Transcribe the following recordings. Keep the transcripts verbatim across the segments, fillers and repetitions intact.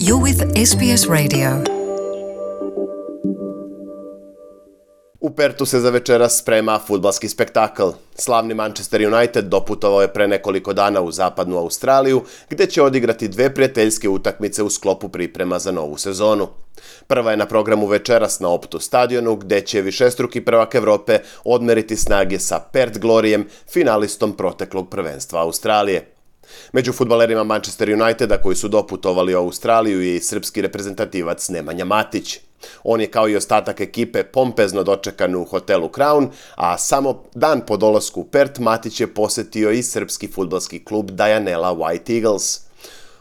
You're with S B S Radio. U Pertu se za večeras sprema fudbalski spektakl. Slavni Manchester United doputovao je pre nekoliko dana u zapadnu Australiju, gde će odigrati dve prijateljske utakmice u sklopu priprema za novu sezonu. Prva je na programu večeras na Optu stadionu, gde će višestruki prvak Evrope odmeriti snage sa Perth Gloryjem, finalistom proteklog prvenstva Australije. Među fudbalerima Manchester Uniteda koji su doputovali u Australiju je i srpski reprezentativac Nemanja Matić. On je kao i ostatak ekipe pompezno dočekan u hotelu Crown, a samo dan po dolasku u Perth Matić je posetio i srpski fudbalski klub Dianella White Eagles.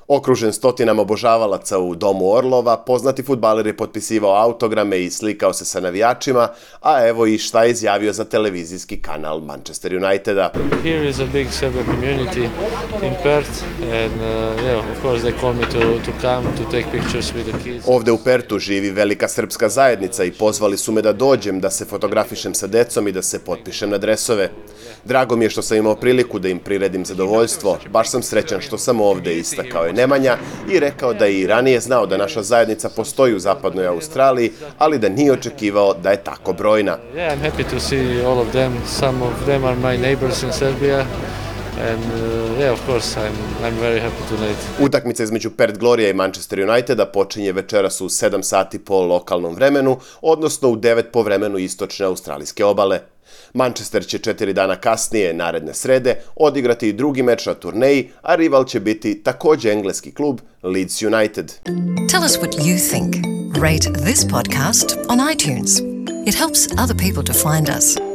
Okružen stotinama obožavalaca u Domu Orlova, poznati fudbaler je potpisivao autograme i slikao se sa navijačima, a evo i šta je izjavio za televizijski kanal Manchester Uniteda. Here is a big Serbian community in Perth and uh, yeah, of course they call me to to come to take pictures with the kids. Ovde u Pertu živi velika srpska zajednica i pozvali su me da dođem, da se fotografišem sa decom i da se potpišem na dresove. Drago mi je što sam imao priliku da im priredim zadovoljstvo. Baš sam srećan što sam ovde, istakao je Nemanja i rekao da je i ranije znao da naša zajednica postoji u zapadnoj Australiji, ali da nije očekivao da je tako brojna. Yeah, I'm happy to see all of them. Some of them are my neighbors in Serbia. And uh, yeah, of course, I'm I'm very happy tonight. Utakmica između Perth Gloryja i Manchester Uniteda počinje večeras u sedam sati po lokalnom vremenu, odnosno u devet po vremenu istočne australijske obale. Manchester će četiri dana kasnije, naredne srede, odigrati i drugi meč na turneji, a rival će biti također engleski klub Leeds United. Tell us what you think. Rate this podcast on iTunes. It helps other people to find us.